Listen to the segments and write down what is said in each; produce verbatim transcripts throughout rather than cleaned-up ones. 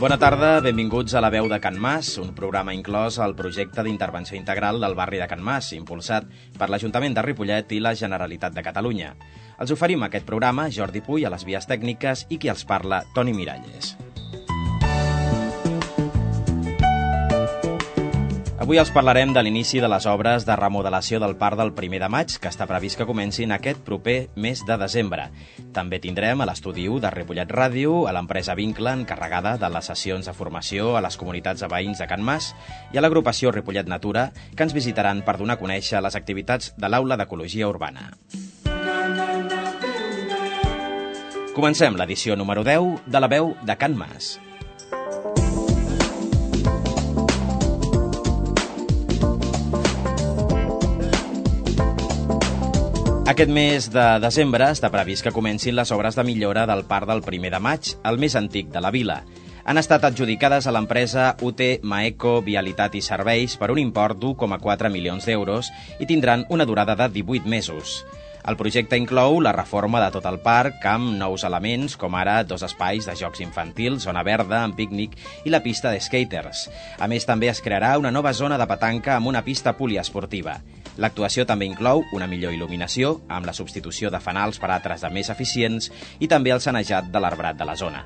Bona tarda, benvinguts a La Veu de Can Mas, un programa inclòs al projecte d'intervenció integral del barri de Can Mas, impulsat per l'Ajuntament de Ripollet i la Generalitat de Catalunya. Els oferim aquest programa Jordi Puy a les vies tècniques i qui els parla, Toni Miralles. Avui els parlarem de l'inici de les obres de remodelació del Parc del primer de maig, que està previst que comencin aquest proper mes de desembre. També tindrem a l'estudi u de Ripollet Ràdio, a l'empresa Vincle, encarregada de les sessions de formació a les comunitats de veïns de Can Mas, i a l'agrupació Ripollet Natura, que ens visitaran per donar a conèixer les activitats de l'Aula d'Ecologia Urbana. Comencem l'edició número deu de La Veu de Can Mas. Aquest mes de desembre està previst que comencin les obres de millora del Parc del primer de maig, el més antic de la vila. Han estat adjudicades a l'empresa U T Maeco Vialitat i Serveis per un import d'u coma quatre milions d'euros i tindran una durada de divuit mesos. El projecte inclou la reforma de tot el parc amb nous elements, com ara dos espais de jocs infantils, zona verda amb pícnic i la pista de skaters. A més, també es crearà una nova zona de petanca amb una pista poliesportiva. L'actuació també inclou una millor il·luminació, amb la substitució de fanals per altres de més eficients i també el sanejat de l'arbrat de la zona.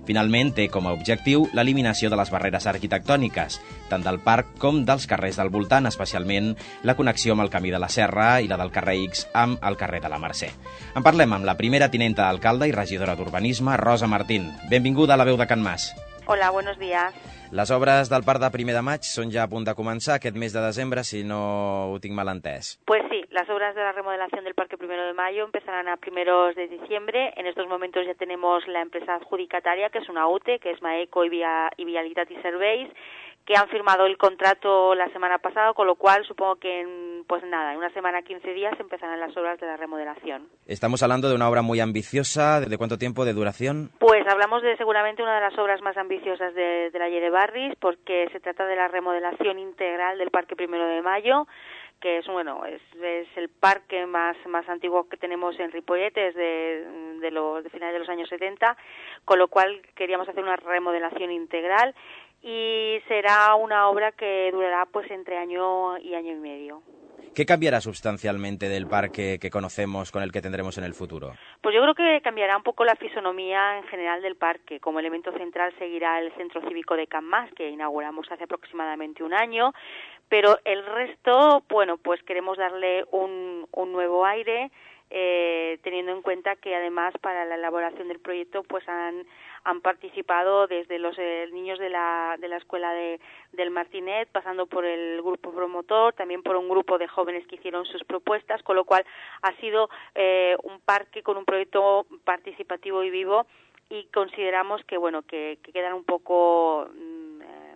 Finalment, té com a objectiu l'eliminació de les barreres arquitectòniques, tant del parc com dels carrers del voltant, especialment la connexió amb el Camí de la Serra i la del carrer X amb el carrer de la Mercè. En parlem amb la primera tinenta d'alcalde i regidora d'Urbanisme, Rosa Martín. Benvinguda a La Veu de Can Mas. Hola, buenos días. Les obres del Parc de primer de maig són ja a punt de començar aquest mes de desembre, si no ho tinc mal entès. Pues sí, las obras de la remodelación del Parque Primero de Mayo empezarán a primeros de diciembre. En estos momentos ya tenemos la empresa adjudicataria, que es una U T E, que es Maeco y, Via, y Vialitat y Serveis, que han firmado el contrato la semana pasada, con lo cual supongo que en, pues nada, en una semana, quince días, empezarán las obras de la remodelación. Estamos hablando de una obra muy ambiciosa. ¿De cuánto tiempo de duración? Pues hablamos de seguramente una de las obras más ambiciosas de, de la Lle de Barris, porque se trata de la remodelación integral del Parque Primero de Mayo, que es bueno es, es el parque más más antiguo que tenemos en Ripollet, es de, de los de finales de los años setenta, con lo cual queríamos hacer una remodelación integral y será una obra que durará pues entre año y año y medio. ¿Qué cambiará sustancialmente del parque que conocemos con el que tendremos en el futuro? Pues yo creo que cambiará un poco la fisonomía en general del parque. Como elemento central seguirá el Centro Cívico de Can Mas, que inauguramos hace aproximadamente un año, pero el resto, bueno, pues queremos darle un, un nuevo aire, eh, teniendo en cuenta que además para la elaboración del proyecto pues han han participado desde los eh, niños de la de la escuela de del Martinet, pasando por el grupo promotor, también por un grupo de jóvenes que hicieron sus propuestas, con lo cual ha sido eh, un parque con un proyecto participativo y vivo, y consideramos que bueno que, que quedan un poco mm, eh,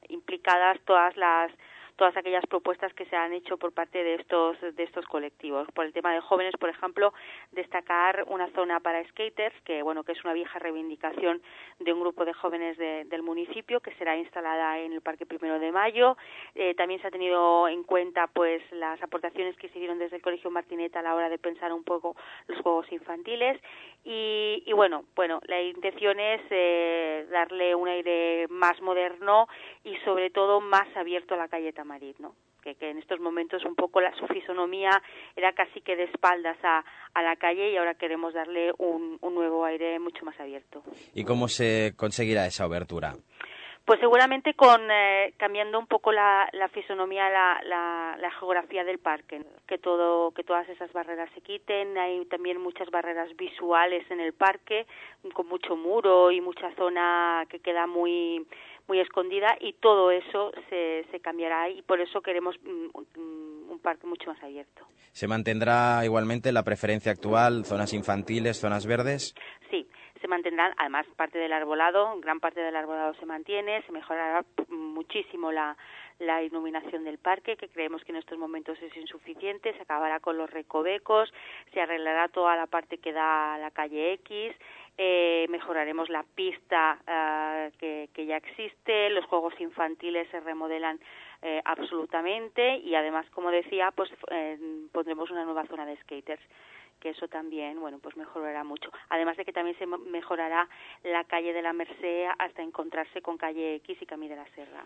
implicadas todas las todas aquellas propuestas que se han hecho por parte de estos de estos colectivos. Por el tema de jóvenes, por ejemplo, destacar una zona para skaters, que bueno que es una vieja reivindicación de un grupo de jóvenes de, del municipio, que será instalada en el Parque Primero de Mayo. Eh, también se ha tenido en cuenta pues las aportaciones que se hicieron desde el Colegio Martinet a la hora de pensar un poco los juegos infantiles. Y, y bueno, bueno, la intención es eh, darle un aire más moderno y sobre todo más abierto a la calle Tamarit, ¿no? Que, que en estos momentos un poco la, su fisonomía era casi que de espaldas a, a la calle, y ahora queremos darle un, un nuevo aire mucho más abierto. ¿Y cómo se conseguirá esa abertura? Pues seguramente con eh, cambiando un poco la, la fisonomía, la, la, la geografía del parque, que todo, que todas esas barreras se quiten. Hay también muchas barreras visuales en el parque, con mucho muro y mucha zona que queda muy muy escondida, y todo eso se, se cambiará, y por eso queremos un, un parque mucho más abierto. ¿Se mantendrá igualmente la preferencia actual, zonas infantiles, zonas verdes? Sí, se mantendrán, además parte del arbolado, gran parte del arbolado se mantiene, se mejorará muchísimo la, la iluminación del parque, que creemos que en estos momentos es insuficiente, se acabará con los recovecos, se arreglará toda la parte que da a la calle X, eh, mejoraremos la pista uh, que, que ya existe, los juegos infantiles se remodelan eh, absolutamente, y además, como decía, pues eh, pondremos una nueva zona de skaters. que eso también, bueno, pues mejorará mucho. Además de que también se mejorará la calle de la Merced hasta encontrarse con calle X y Camí de la Serra.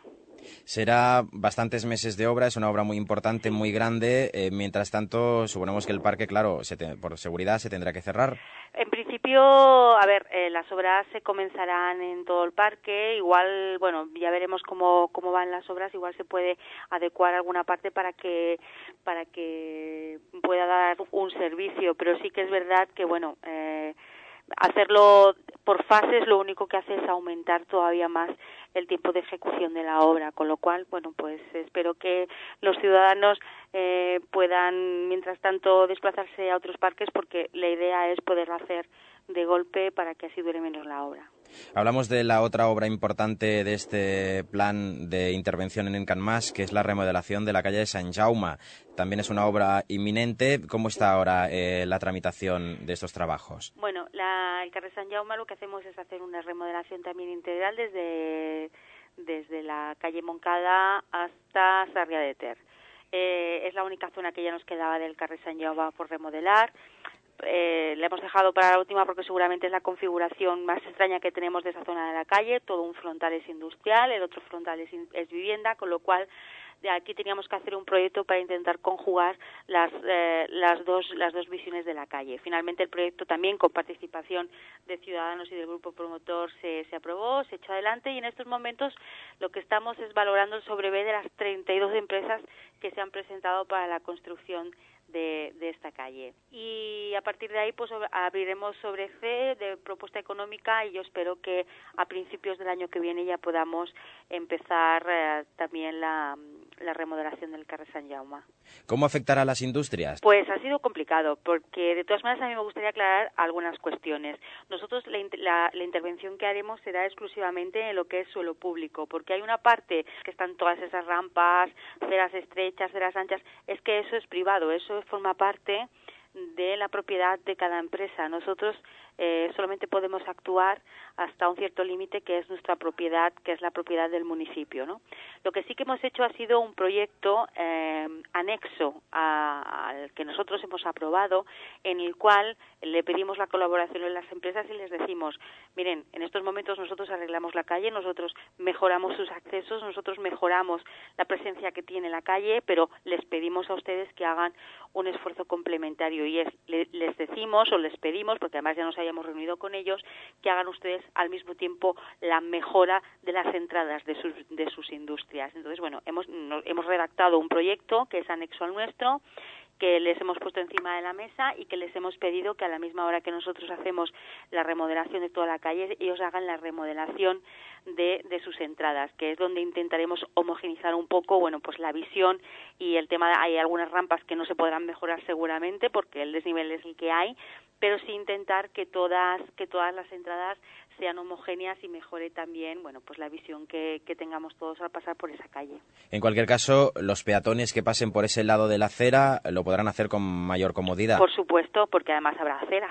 Será bastantes meses de obra, es una obra muy importante, Sí. muy grande. Eh, mientras tanto, suponemos que el parque, claro, se te, por seguridad se tendrá que cerrar. En principio, a ver, eh, las obras se comenzarán en todo el parque. Igual, bueno, ya veremos cómo cómo van las obras. Igual se puede adecuar alguna parte para que para que pueda dar un servicio. Pero sí que es verdad que, bueno, eh, hacerlo por fases lo único que hace es aumentar todavía más el tiempo de ejecución de la obra, con lo cual, bueno, pues espero que los ciudadanos eh, puedan, mientras tanto, desplazarse a otros parques, porque la idea es poderlo hacer de golpe para que así dure menos la obra. Hablamos de la otra obra importante de este plan de intervención en Can Mas, que es la remodelación de la calle de Sant Jaume. También es una obra inminente. ¿Cómo está ahora eh, la tramitación de estos trabajos? Bueno, la, el carrer Sant Jaume lo que hacemos es hacer una remodelación también integral desde, desde la calle Moncada hasta Sarrià de Ter. Eh, es la única zona que ya nos quedaba del carrer Sant Jaume por remodelar. Eh, la hemos dejado para la última porque seguramente es la configuración más extraña que tenemos de esa zona de la calle. Todo un frontal es industrial, el otro frontal es, es vivienda, con lo cual de aquí teníamos que hacer un proyecto para intentar conjugar las eh, las dos las dos visiones de la calle. Finalmente el proyecto también con participación de ciudadanos y del grupo promotor se, se aprobó, se echó adelante, y en estos momentos lo que estamos es valorando el sobrevé de las treinta y dos empresas que se han presentado para la construcción de, de esta calle. Y a partir de ahí pues abriremos sobre C de propuesta económica, y yo espero que a principios del año que viene ya podamos empezar eh, también la, la remodelación del carrer Sant Jaume. ¿Cómo afectará a las industrias? Pues ha sido complicado, porque de todas maneras a mí me gustaría aclarar algunas cuestiones. Nosotros la, la, la intervención que haremos será exclusivamente en lo que es suelo público, porque hay una parte que están todas esas rampas, aceras estrechas, aceras anchas, es que eso es privado, eso forma parte de la propiedad de cada empresa. Nosotros eh, solamente podemos actuar hasta un cierto límite, que es nuestra propiedad, que es la propiedad del municipio, ¿no? Lo que sí que hemos hecho ha sido un proyecto eh, anexo a, al que nosotros hemos aprobado, en el cual le pedimos la colaboración de las empresas y les decimos, miren, en estos momentos nosotros arreglamos la calle, nosotros mejoramos sus accesos, nosotros mejoramos la presencia que tiene la calle, pero les pedimos a ustedes que hagan un esfuerzo complementario, y es, le, les decimos o les pedimos, porque además ya nos hayamos reunido con ellos, que hagan ustedes al mismo tiempo la mejora de las entradas de sus, de sus industrias. Entonces, bueno, hemos, no, hemos redactado un proyecto que es anexo al nuestro, que les hemos puesto encima de la mesa y que les hemos pedido que a la misma hora que nosotros hacemos la remodelación de toda la calle, ellos hagan la remodelación de, de sus entradas, que es donde intentaremos homogeneizar un poco, bueno, pues la visión y el tema. Hay algunas rampas que no se podrán mejorar seguramente porque el desnivel es el que hay, pero sí intentar que todas que todas las entradas sean homogéneas y mejore también, bueno, pues la visión que, que tengamos todos al pasar por esa calle. En cualquier caso, los peatones que pasen por ese lado de la acera lo podrán hacer con mayor comodidad. Por supuesto, porque además habrá acera,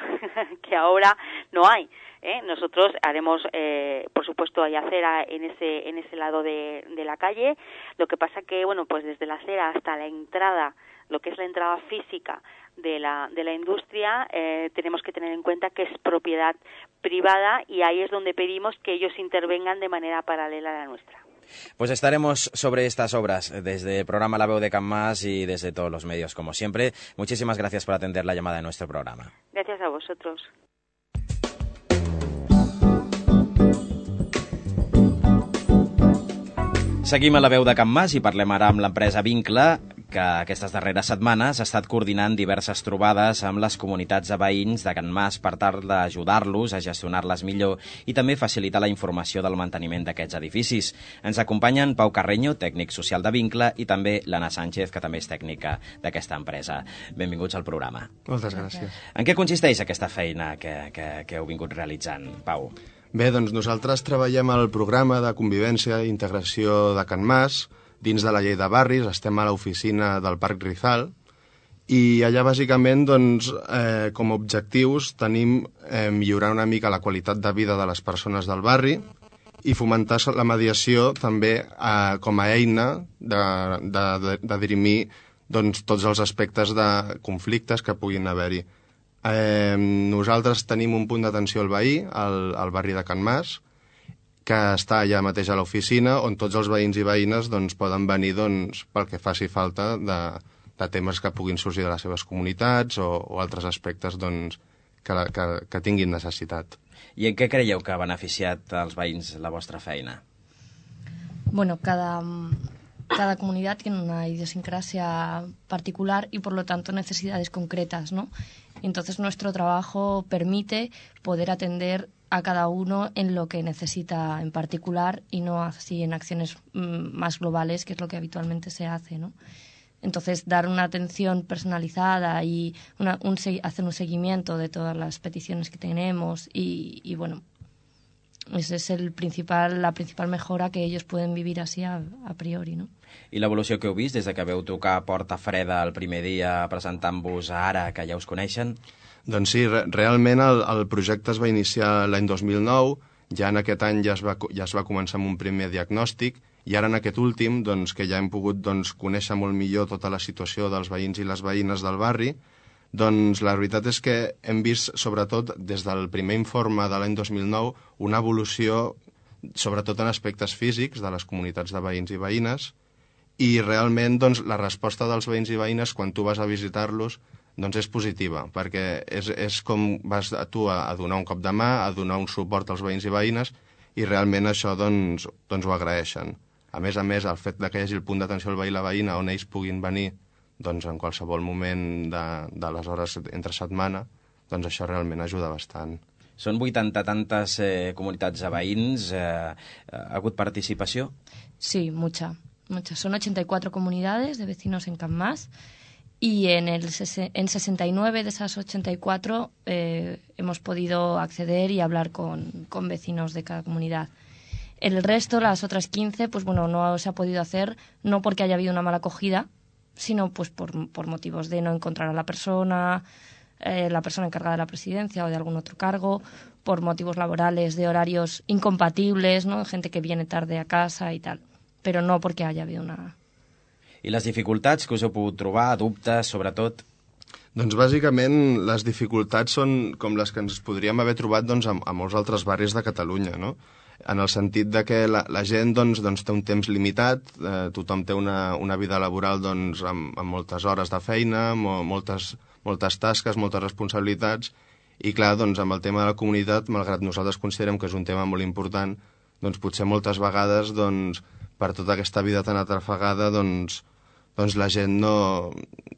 que ahora no hay. ¿eh? Nosotros haremos, eh, por supuesto, hay acera en ese en ese lado de, de la calle. Lo que pasa que, bueno, pues desde la acera hasta la entrada, lo que es la entrada física de la de la industria, eh, tenemos que tener en cuenta que es propiedad privada, y ahí es donde pedimos que ellos intervengan de manera paralela a la nuestra. Pues estaremos sobre estas obras desde el programa La Veu de Can Mas y desde todos los medios, como siempre. Muchísimas gracias por atender la llamada de nuestro programa. Gracias a vosotros. Seguim a La Veu de Can Mas i parlem ara amb l'empresa Vincle, que aquestes darreres setmanes ha estat coordinant diverses trobades amb les comunitats de veïns de Can Mas per tal d'ajudar-los a gestionar-les millor i també facilitar la informació del manteniment d'aquests edificis. Ens acompanyen Pau Carreño, tècnic social de Vincle, i també l'Anna Sánchez, que també és tècnica d'aquesta empresa. Benvinguts al programa. Moltes gràcies. En què consisteix aquesta feina que, que, que heu vingut realitzant, Pau? Bé, doncs nosaltres treballem al programa de convivència i integració de Can Mas, dins de la llei de barris. Estem a l'oficina del Parc Rizal, i allà bàsicament, doncs, eh, com a objectius tenim eh, millorar una mica la qualitat de vida de les persones del barri i fomentar la mediació també eh, com a eina de, de, de, de dirimir doncs, tots els aspectes de conflictes que puguin haver-hi. Eh, nosaltres tenim un punt d'atenció al veí, al, al barri de Can Mas, que està allà mateix a l'oficina, on tots els veïns i veïnes doncs, poden venir doncs, pel que faci falta de, de temes que puguin sorgir de les seves comunitats o, o altres aspectes doncs, que, la, que, que tinguin necessitat. I en què creieu que ha beneficiat als veïns la vostra feina? Bueno, cada, cada comunidad tiene una idiosincrasia particular y por lo tanto necesidades concretas, ¿no? Entonces nuestro trabajo permite poder atender a cada uno en lo que necesita en particular y no así en acciones mmm, más globales, que es lo que habitualmente se hace, ¿no? Entonces, dar una atención personalizada y una, un, hacer un seguimiento de todas las peticiones que tenemos y, y bueno, esa es el principal, la principal mejora que ellos pueden vivir así a, a priori, ¿no? I l'evolució que heu vist des de que veu tocar Porta Freda el primer dia presentant-vos a ara, que ja us coneixen? Doncs sí, re realment el, el projecte es va iniciar l'any dos mil nou, ja en aquest any ja es, va, ja es va començar amb un primer diagnòstic, i ara en aquest últim, doncs, que ja hem pogut doncs, conèixer molt millor tota la situació dels veïns i les veïnes del barri, doncs la veritat és que hem vist, sobretot des del primer informe de l'any dos mil nou, una evolució, sobretot en aspectes físics de les comunitats de veïns i veïnes, i realment doncs, la resposta dels veïns i veïnes quan tu vas a visitar-los doncs és positiva, perquè és, és com vas a tu a, a donar un cop de mà, a donar un suport als veïns i veïnes, i realment això doncs, doncs ho agraeixen. A més a més, el fet que hi hagi el punt d'atenció al veí i la veïna on ells puguin venir doncs, en qualsevol moment de, de les hores entre setmana, doncs això realment ajuda bastant. Són vuitanta tantes eh, comunitats de veïns. Eh, ¿Ha hagut participació? Sí, mucha, mucha. Son ochenta y cuatro comunidades de vecinos en Can Mas y en, el, en sesenta y nueve de esas ochenta y cuatro eh, hemos podido acceder y hablar con, con vecinos de cada comunidad. El resto, las otras quince, pues bueno, no se ha podido hacer, no porque haya habido una mala acogida, sino pues por, por motivos de no encontrar a la persona, eh, la persona encargada de la presidencia o de algún otro cargo, por motivos laborales, de horarios incompatibles, ¿no? Gente que viene tarde a casa y tal, pero no porque haya habido una... I les dificultats que us heu pogut trobar, dubtes, sobretot? Doncs bàsicament les dificultats són com les que ens podríem haver trobat doncs, a, a molts altres barris de Catalunya, no? En el sentit de que la, la gent doncs, doncs, té un temps limitat, eh, tothom té una, una vida laboral doncs, amb, amb moltes hores de feina, mo, moltes, moltes tasques, moltes responsabilitats, i clar, doncs, amb el tema de la comunitat, malgrat nosaltres considerem que és un tema molt important, doncs potser moltes vegades doncs, per tota aquesta vida tan atrafegada doncs, doncs la gent no,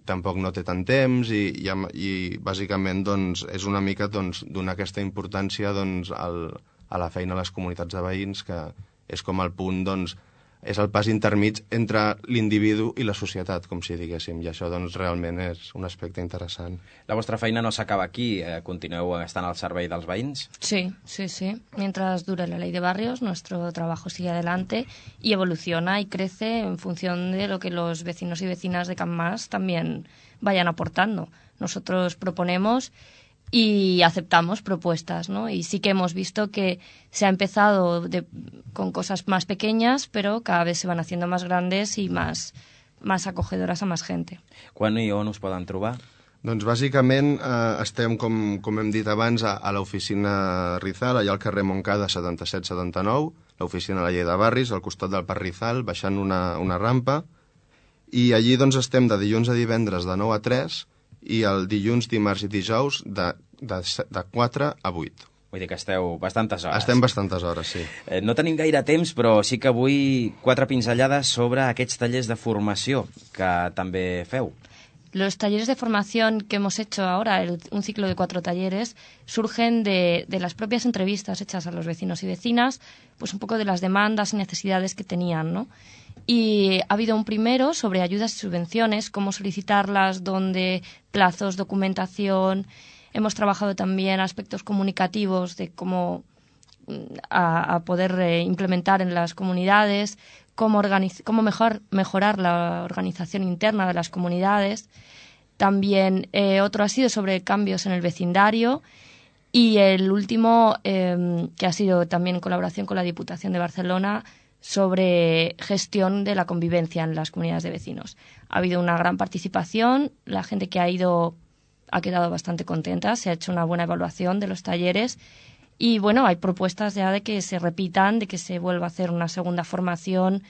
tampoc no té tant temps i, i, i bàsicament doncs, és una mica doncs, donar aquesta importància doncs, al, a la feina a les comunitats de veïns, que és com el punt, doncs, és el pas intermig entre l'individu i la societat, com si diguéssim, i això doncs, realment és un aspecte interessant. La vostra feina no s'acaba aquí, eh, continueu estant al servei dels veïns? Sí, sí, sí. Mientras dure la ley de barrios, nuestro trabajo sigue adelante y evoluciona y crece en función de lo que los vecinos y vecinas de Can Mas también vayan aportando. Nosotros proponemos y aceptamos propuestas, ¿no? Y sí que hemos visto que se ha empezado de, con cosas más pequeñas, pero cada vez se van haciendo más grandes y más, más acogedoras a más gente. Quan i on us poden trobar? Doncs bàsicament eh, estem, com, com hem dit abans, a, a l'oficina Rizal, allà al carrer Montcada setanta-set setanta-nou, l'oficina de la llei de barris, al costat del Parc Rizal, baixant una, una rampa, i allí doncs estem de dilluns a divendres de nou a tres, i el dilluns, dimarts i dijous de, de, de quatre a vuit. Vull dir que esteu bastantes hores. Estem bastantes hores, sí. Eh, no tenim gaire temps, però sí que avui quatre pinzellades sobre aquests tallers de formació que també feu. Los talleres de formación que hemos hecho ahora, el, un ciclo de cuatro talleres, surgen de, de las propias entrevistas hechas a los vecinos y vecinas, pues un poco de las demandas y necesidades que tenían, ¿no? Y ha habido un primero sobre ayudas y subvenciones, cómo solicitarlas, dónde, plazos, documentación. Hemos trabajado también aspectos comunicativos de cómo a, a poder eh, implementar en las comunidades, cómo, cómo mejor, mejorar la organización interna de las comunidades. También eh, otro ha sido sobre cambios en el vecindario. Y el último, eh, que ha sido también en colaboración con la Diputación de Barcelona, sobre gestión de la convivencia en las comunidades de vecinos. Ha habido una gran participación, la gente que ha ido ha quedado bastante contenta, se ha hecho una buena evaluación de los talleres y bueno, hay propuestas ya de que se repitan, de que se vuelva a hacer una segunda formación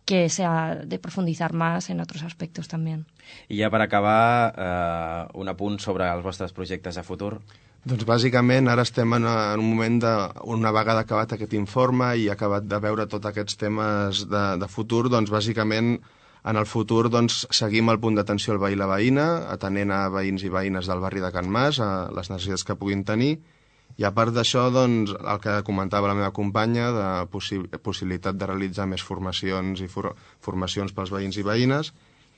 que sea de profundizar más en otros aspectos también. I ja per acabar, eh, un apunt sobre els vostres projectes a futur. Doncs bàsicament ara estem en, en un moment de, una vegada acabat aquest informe i acabat de veure tots aquests temes de, de futur, doncs bàsicament en el futur doncs, seguim el punt d'atenció al veí i la veïna, atenent a veïns i veïnes del barri de Can Mas, a les necessitats que puguin tenir, i a part d'això, doncs, el que comentava la meva companya, de possi possibilitat de realitzar més formacions i for formacions pels veïns i veïnes,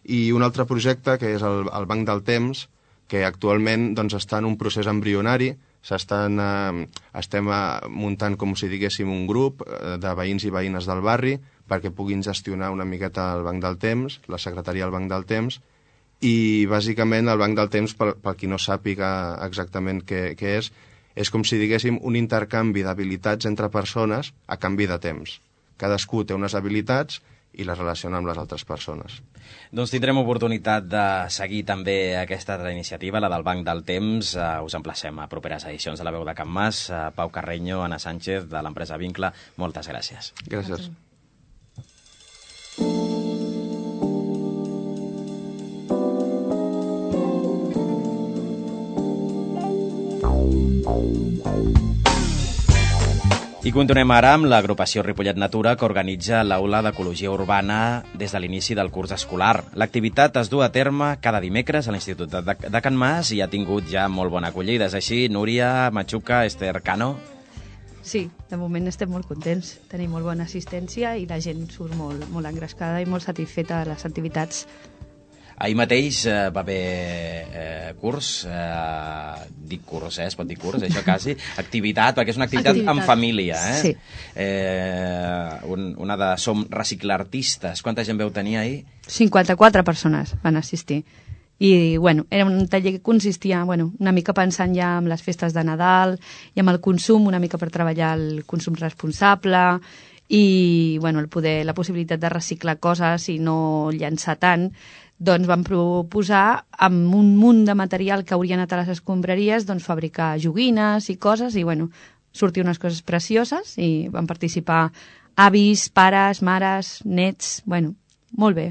i un altre projecte que és el, el Banc del Temps, que actualment doncs, està en un procés embrionari, s'estan eh, estem eh, muntant, com si diguéssim, un grup eh, de veïns i veïnes del barri perquè puguin gestionar una miqueta el Banc del Temps, la secretaria del Banc del Temps, i bàsicament el Banc del Temps, per, per qui no sàpiga exactament què, què és, és com si diguéssim un intercanvi d'habilitats entre persones a canvi de temps. Cadascú té unes habilitats i les relaciona amb les altres persones. Doncs tindrem oportunitat de seguir també aquesta altra iniciativa, la del Banc del Temps. Uh, us emplacem a properes edicions de La Veu de Can Mas. Uh, Pau Carreño, Anna Sánchez, de l'empresa Vincle, moltes gràcies. Gràcies. I continuem ara amb l'agrupació Ripollet Natura, que organitza l'Aula d'Ecologia Urbana des de l'inici del curs escolar. L'activitat es du a terme cada dimecres a l'Institut de, de Can Mas i ha tingut ja molt bona acollida. És així, Núria, Machuca, Esther Cano? Sí, de moment estem molt contents. Tenim molt bona assistència i la gent surt molt, molt engrescada i molt satisfeta de les activitats. Ahir mateix eh, va haver eh, curs, eh, dic curs, eh, es pot dir curs, això quasi, activitat, perquè és una activitat, activitat. en família, eh? Sí. Eh, un, una de Som Reciclartistes. Quanta gent veu tenir ahir? cinquanta-quatre persones van assistir. I, bueno, era un taller que consistia, bueno, una mica pensant ja en les festes de Nadal i amb el consum, una mica per treballar el consum responsable i, bueno, el poder, la possibilitat de reciclar coses i no llançar tant. Doncs van proposar, amb un munt de material que hauria anat a les escombraries, doncs fabricar joguines i coses, i bueno, sortir unes coses precioses, i van participar avis, pares, mares, nets, bueno, molt bé.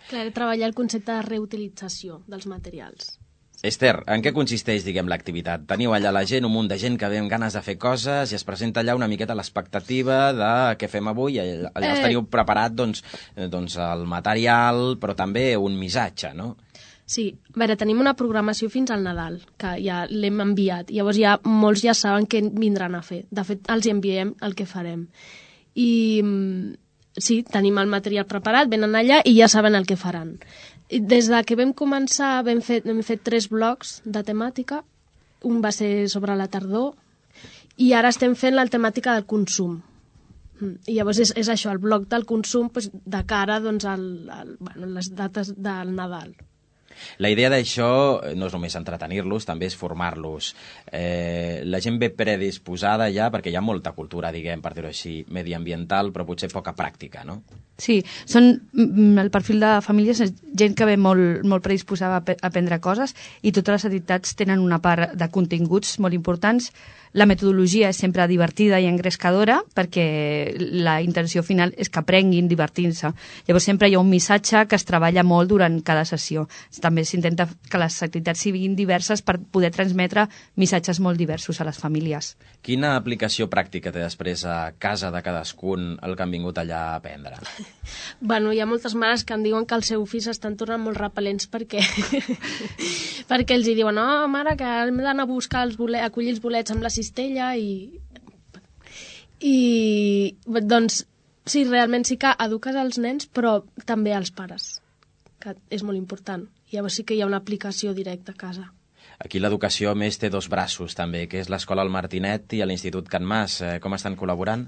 Clar, treballar el concepte de reutilització dels materials. Esther, en què consisteix, diguem, l'activitat? Teniu allà la gent, un munt de gent que ve amb ganes de fer coses i es presenta allà una miqueta l'expectativa de què fem avui. Allà eh... teniu preparat, doncs, doncs, el material, però també un missatge, no? Sí, a veure, tenim una programació fins al Nadal, que ja l'hem enviat. Llavors ja molts ja saben què vindran a fer. De fet, els enviem el que farem. I sí, tenim el material preparat, venen allà i ja saben el que faran. Des de que vam començar vam fet, hem fet tres blocs de temàtica. Un va ser sobre la tardor i ara estem fent la temàtica del consum. I llavors és, és això, el bloc del consum doncs, de cara doncs, al, al, bueno, les dates del Nadal. La idea d'això no és només entretenir-los, també és formar-los. Eh, la gent ve predisposada ja, perquè hi ha molta cultura, diguem, per dir-ho així, mediambiental, però potser poca pràctica, no? Sí, són, el perfil de famílies és gent que ve molt, molt predisposada a aprendre coses i totes les entitats tenen una part de continguts molt importants. La metodologia és sempre divertida i engrescadora perquè la intenció final és que aprenguin divertint-se. Llavors sempre hi ha un missatge que es treballa molt durant cada sessió. També s'intenta que les activitats siguin diverses per poder transmetre missatges molt diversos a les famílies. Quina aplicació pràctica té després a casa de cadascun el que han vingut allà a aprendre? Bueno, hi ha moltes mares que em diuen que els seus fills estan tornant molt repel·lents perquè perquè els hi diuen, no, mare, que hem d'anar a buscar els bolets, acollir els bolets amb la cistella i... i doncs sí, realment sí que eduques als nens però també als pares, que és molt important. Llavors sí que hi ha una aplicació directa a casa. Aquí l'educació, a més, té dos braços també, que és l'Escola El Martinet i l'Institut Can Mas. Com estan col·laborant?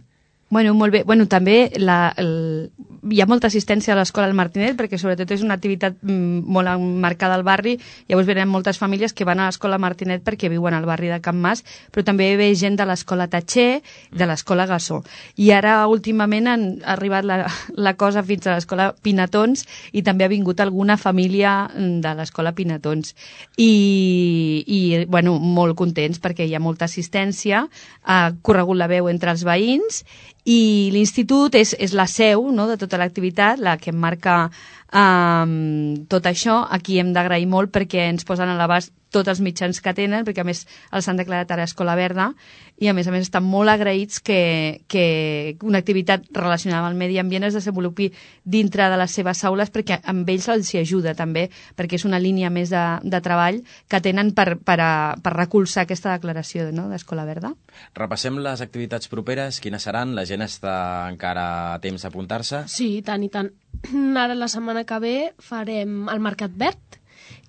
Bueno, molt bé. Bueno, també la, el, hi ha molta assistència a l'escola del Martinet perquè sobretot és una activitat mm, molt marcada al barri. Llavors venen moltes famílies que van a l'escola Martinet perquè viuen al barri de Can Mas, però també ve gent de l'escola Tatxer, de l'escola Gassó. I ara últimament han arribat la, la cosa fins a l'escola Pinatons i també ha vingut alguna família de l'escola Pinatons. I, i bueno, molt contents perquè hi ha molta assistència, ha corregut la veu entre els veïns i l'institut és, és la seu, no?, de tota l'activitat, la que marca um, tot això. Aquí hem d'agrair molt perquè ens posen a l'abast tots els mitjans que tenen, perquè a més els han declarat ara Escola Verda, i a més a més estan molt agraïts que, que una activitat relacionada amb el medi ambient es desenvolupi dintre de les seves aules, perquè amb ells els hi ajuda també, perquè és una línia més de, de treball que tenen per, per, a, per recolzar aquesta declaració, no?, d'Escola Verda. Repassem les activitats properes, quines seran? La gent està encara a temps d'apuntar-se? Sí, i tant, i tant. Ara la setmana que ve farem el Mercat Verd,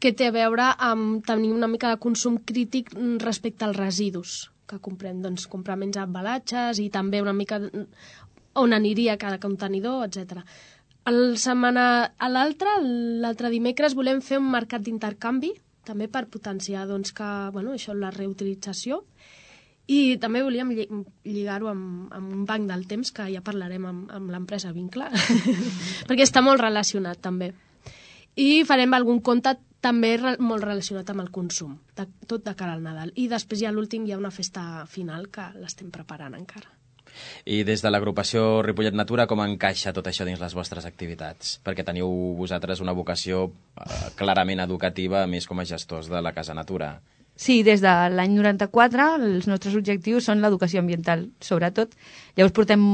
que té a veure amb tenir una mica de consum crític respecte als residus que comprem, doncs comprar menys embalatges i també una mica on aniria cada contenidor, etcètera. El setmana a l'altre, l'altre dimecres, volem fer un mercat d'intercanvi, també per potenciar doncs, que, bueno, això, la reutilització, i també volíem lligar-ho amb, amb un banc del temps, que ja parlarem amb, amb l'empresa Vincle, perquè està molt relacionat també. I farem algun conte també re, molt relacionat amb el consum, de, tot de cara al Nadal. I després ja l'últim hi ha una festa final que l'estem preparant encara. I des de l'agrupació Ripollet Natura, com encaixa tot això dins les vostres activitats? Perquè teniu vosaltres una vocació eh, clarament educativa, a més com a gestors de la Casa Natura. Sí, des de l'any noranta-quatre els nostres objectius són l'educació ambiental, sobretot. Llavors portem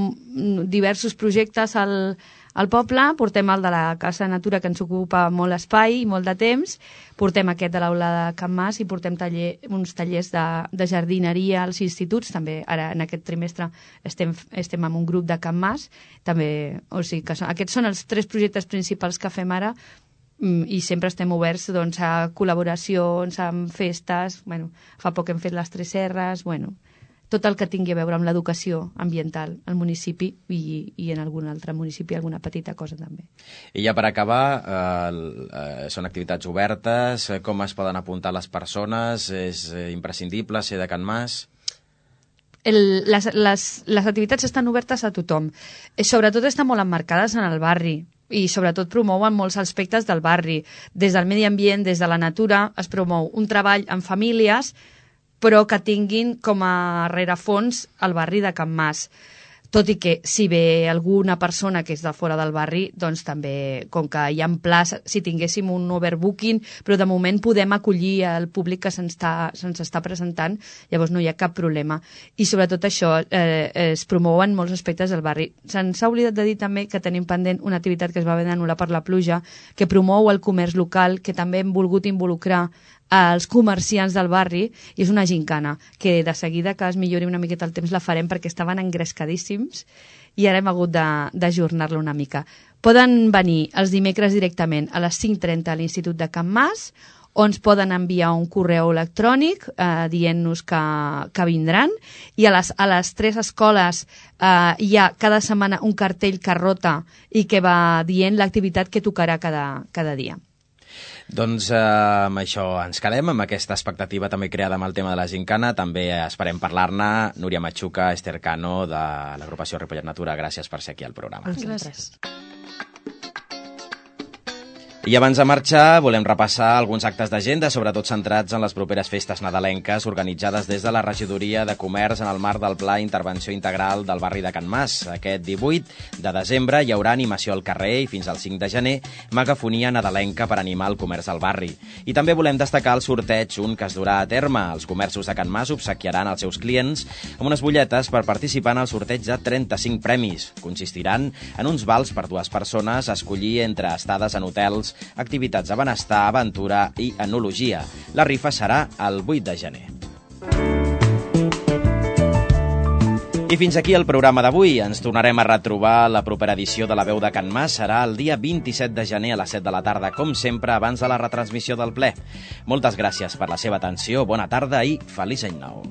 diversos projectes al, al poble, portem el de la Casa Natura, que ens ocupa molt espai i molt de temps, portem aquest de l'aula de Can Mas i portem taller, uns tallers de, de jardineria als instituts, també ara en aquest trimestre estem, estem amb un grup de Can Mas, també, o sigui que són, aquests són els tres projectes principals que fem ara, i sempre estem oberts doncs, a col·laboracions, amb festes, bueno, fa poc hem fet les Tres Serres, bueno, tot el que tingui a veure amb l'educació ambiental al municipi i, i en algun altre municipi, alguna petita cosa també. I ja per acabar, eh, eh, són activitats obertes, com es poden apuntar les persones, és imprescindible ser de Can Mas? El, les, les, les activitats estan obertes a tothom, sobretot estan molt emmarcades en el barri, i sobretot promouen molts aspectes del barri. Des del medi ambient, des de la natura, es promou un treball en famílies, però que tinguin com a rerefons el barri de Can Mas. Tot i que si ve alguna persona que és de fora del barri, doncs també, com que hi ha plaça, si tinguéssim un overbooking, però de moment podem acollir el públic que se'ns està, se'ns està presentant, llavors no hi ha cap problema. I sobretot això, eh, es promouen molts aspectes del barri. Se'ns ha oblidat de dir també que tenim pendent una activitat que es va haver d'anul·lar per la pluja, que promou el comerç local, que també hem volgut involucrar als comerciants del barri, i és una gincana que de seguida que es millori una miqueta el temps la farem perquè estaven engrescadíssims i ara hem hagut d'ajornar-la una mica. Poden venir els dimecres directament a les cinc trenta a l'Institut de Can Mas, o ens poden enviar un correu electrònic eh, dient-nos que, que vindran, i a les, a les tres escoles eh, hi ha cada setmana un cartell que rota i que va dient l'activitat que tocarà cada, cada dia. Doncs eh, amb això ens quedem, amb aquesta expectativa també creada amb el tema de la gincana. També esperem parlar-ne. Núria Machuca, Esther Cano, de l'agrupació Ripollet Natura, gràcies per ser aquí al programa. Gràcies. I abans de marxar, volem repassar alguns actes d'agenda, sobretot centrats en les properes festes nadalenques organitzades des de la Regidoria de Comerç en el marc del Pla Intervenció Integral del barri de Can Mas. Aquest divuit de desembre hi haurà animació al carrer i fins al cinc de gener megafonia nadalenca per animar el comerç al barri. I també volem destacar el sorteig, un que es durà a terme. Els comerços de Can Mas obsequiaran als seus clients amb unes butlletes per participar en el sorteig de trenta-cinc premis. Consistiran en uns vals per dues persones a escollir entre estades en hotels, activitats de benestar, aventura i enologia. La rifa serà el vuit de gener. I fins aquí el programa d'avui. Ens tornarem a retrobar la propera edició de La Veu de Can Mas. Serà el dia vint-i-set de gener a les set de la tarda, com sempre, abans de la retransmissió del ple. Moltes gràcies per la seva atenció, bona tarda i feliç any nou.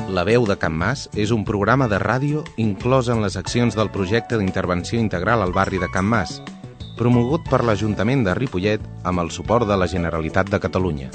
La veu de Can Mas és un programa de ràdio inclòs en les accions del projecte d'intervenció integral al barri de Can Mas, promogut per l'Ajuntament de Ripollet amb el suport de la Generalitat de Catalunya.